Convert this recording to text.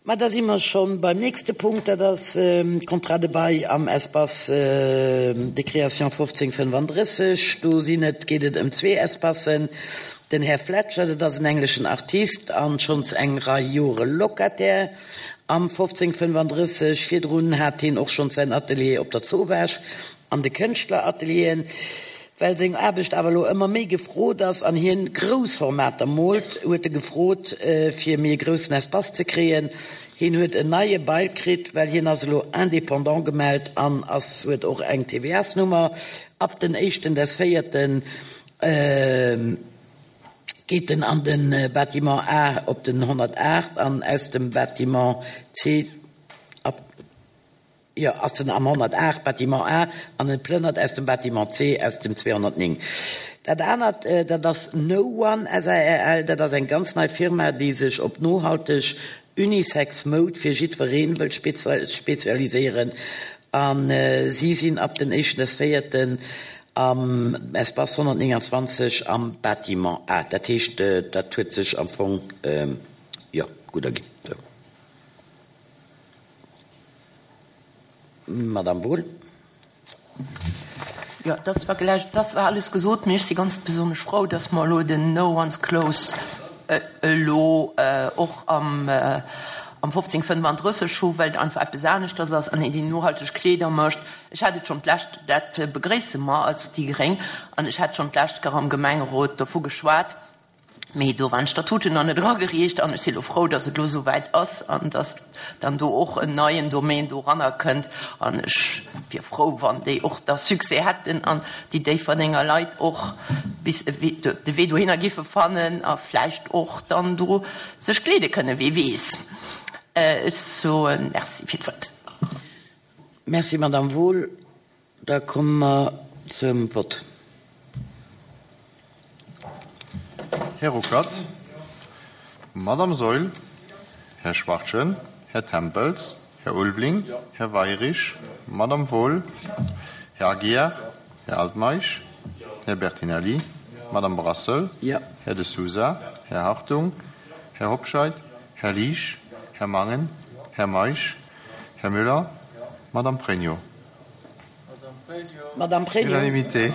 Ma da si mer scho beim nächste Punkt, dat ass d'Contrats de bail am Espace de création 1535. Do sinn et, geet et ëm zwee Espacen. Den Här Fletcher, dat ass en engleschen Artist an schonns eng Rei Jore Locataire am 1535. Virdrun hat hien och schonns säin Atelier op der Zowaasch an de Kënschtleratelieren. Well seng Aarbecht awer elo ëmmer méi gefrot ass an hien grouss Formater moolt, huet e gefrot fir méi e groussen Espace ze kréien. Hien huet en neie Bail kritt, well hien ass elo Indépendant gemellt an ass huet och eng TVA-s-Nummer. Ab den éischten des véierten geet en an de Bâtiment A op den 108 an aus dem Bâtiment C ab. Jo, ass en am 108, Bâtiment A, an en plënnert aus dem Bâtiment C, aus dem 209. Dat anert, dat ass No One SARL, dat ass eng ganz nei Firma, déi sech op nohalteg Unisex Moud fir jiddweree wëllt spezialiséieren. A si sinn ab den éischten des véierten am Espace 129 am Bâtiment A. Dat heescht, dat huet sech am Fong, jo, gutt erginn. Sou. Madame Wohl. Jo, dass war gläich, dass war alles gesot. Mee ech si ganz besonnesch frou, dass mer elo den No One's Close elo och am 1535 hu, well et einfach eppes aneschters ass an een déi nohalteg Kleeder mécht. Ech hat et schonn d'lescht, dat begréisse mer als déi Gréng, an ech hat schonn d'lescht Kéier am Gemengerot dovu geschwat, Mee do waren d'Statuten nach net eragereecht an ech si lo frou, datt et elo esou wäit ass an datt dann do och en neien Domaine doranner kënnt. An ech wier frou, wann déi och da Succès hätten an déi Déifferdenger Leit och bis de Wee dohinner giffe fannen a vläicht och dann do sech kleede kënnen, wee weess. Ech soe Merci fir d'Wuert. Merci, Madamm Wohl. Da komme mer zum Vott. Här Ruckert, Madame Saeul, Här Schwachtgen, Här Tempels, Här Ulveling, Här Weirich, Madame Wohl, Här Aguiar, Här Altmeisch, Här Bertinelli, Madame Brassel, Här De Sousa, Här Hartung, Här Hobscheit, Här Liesch, Här Mangen, Här Meisch, Här Müller, Madame Pregno. Madame Pregno. Unanimité.